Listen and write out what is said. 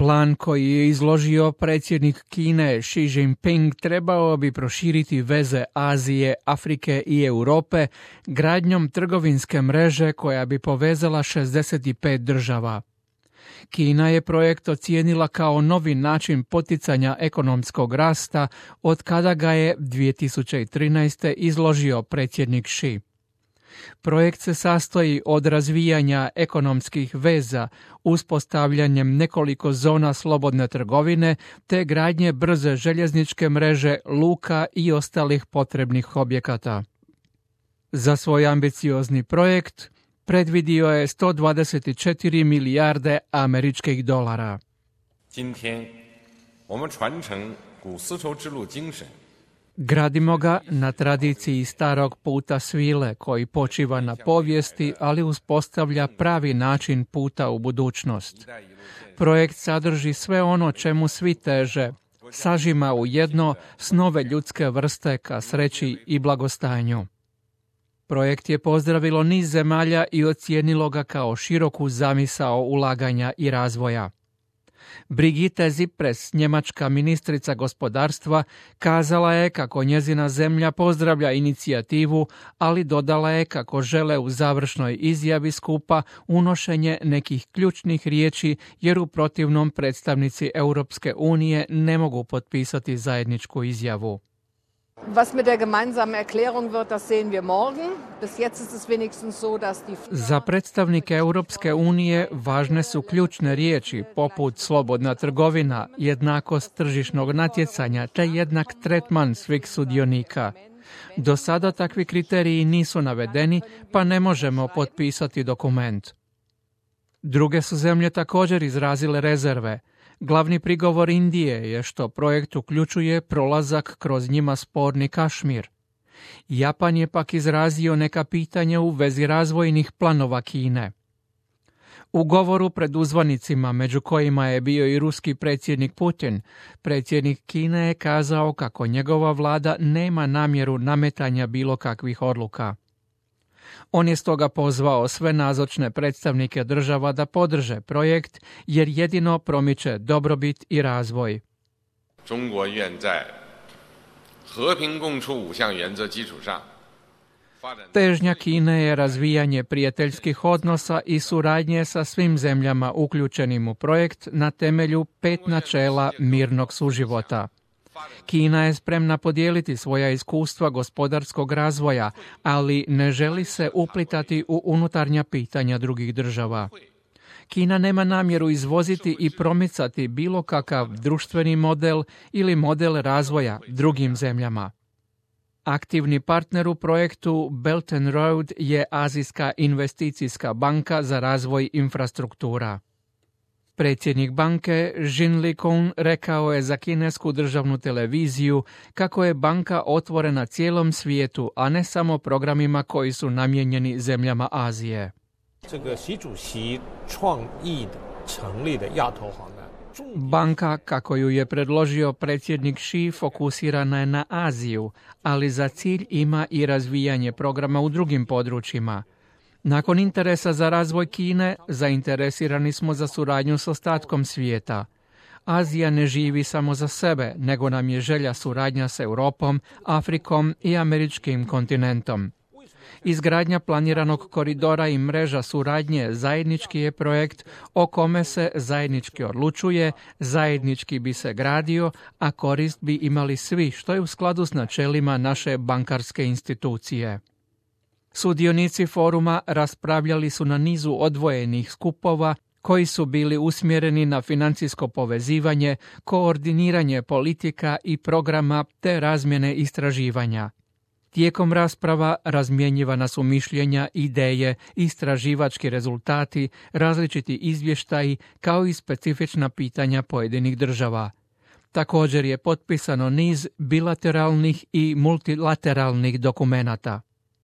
Plan koji je izložio predsjednik Kine Xi Jinping trebao bi proširiti veze Azije, Afrike i Europe gradnjom trgovinske mreže koja bi povezala 65 država. Kina je projekt ocijenila kao novi način poticanja ekonomskog rasta od kada ga je 2013. izložio predsjednik Xi. Projekt se sastoji od razvijanja ekonomskih veza, uspostavljanjem nekoliko zona slobodne trgovine te gradnje brze željezničke mreže, luka i ostalih potrebnih objekata. Za svoj ambiciozni projekt predvidio je 124 milijarde američkih dolara. Gradimo ga na tradiciji starog puta svile koji počiva na povijesti, ali uspostavlja pravi način puta u budućnost. Projekt sadrži sve ono čemu svi teže, sažima u jedno snove ljudske vrste ka sreći i blagostanju. Projekt je pozdravilo niz zemalja i ocijenilo ga kao široku zamisao ulaganja i razvoja. Brigitte Zippres, njemačka ministrica gospodarstva, kazala je kako njezina zemlja pozdravlja inicijativu, ali dodala je kako žele u završnoj izjavi skupa unošenje nekih ključnih riječi, jer u protivnom predstavnici Europske unije ne mogu potpisati zajedničku izjavu. Was mit der gemeinsamen Erklärung wird, das sehen wir morgen. Bis jetzt ist es wenigstens so, dass die... Za predstavnike Europske unije važne su ključne riječi poput slobodna trgovina, jednakost tržišnog natjecanja te jednak tretman svih sudionika. Do sada takvi kriteriji nisu navedeni, pa ne možemo potpisati dokument. Druge su zemlje također izrazile rezerve. Glavni prigovor Indije je što projekt uključuje prolazak kroz njima sporni Kašmir. Japan je pak izrazio neka pitanja u vezi razvojnih planova Kine. U govoru pred uzvanicima, među kojima je bio i ruski predsjednik Putin, predsjednik Kine je kazao kako njegova vlada nema namjeru nametanja bilo kakvih odluka. On je stoga pozvao sve nazočne predstavnike država da podrže projekt, jer jedino promiče dobrobit i razvoj. Težnja Kine je razvijanje prijateljskih odnosa i suradnje sa svim zemljama uključenim u projekt na temelju 5 načela mirnog suživota. Kina je spremna podijeliti svoja iskustva gospodarskog razvoja, ali ne želi se uplitati u unutarnja pitanja drugih država. Kina nema namjeru izvoziti i promicati bilo kakav društveni model ili model razvoja drugim zemljama. Aktivni partner u projektu Belt and Road je Azijska investicijska banka za razvoj infrastruktura. Predsjednik banke Jin Likun rekao je za kinesku državnu televiziju kako je banka otvorena cijelom svijetu, a ne samo programima koji su namijenjeni zemljama Azije. Banka, kako ju je predložio predsjednik Xi, fokusirana je na Aziju, ali za cilj ima i razvijanje programa u drugim područjima. Nakon interesa za razvoj Kine, zainteresirani smo za suradnju s ostatkom svijeta. Azija ne živi samo za sebe, nego nam je želja suradnja s Europom, Afrikom i američkim kontinentom. Izgradnja planiranog koridora i mreža suradnje zajednički je projekt o kome se zajednički odlučuje, zajednički bi se gradio, a korist bi imali svi, što je u skladu s načelima naše bankarske institucije. Sudionici foruma raspravljali su na nizu odvojenih skupova koji su bili usmjereni na financijsko povezivanje, koordiniranje politika i programa te razmjene istraživanja. Tijekom rasprava razmjenjivana su mišljenja, ideje, istraživački rezultati, različiti izvještaji kao i specifična pitanja pojedinih država. Također je potpisano niz bilateralnih i multilateralnih dokumenata.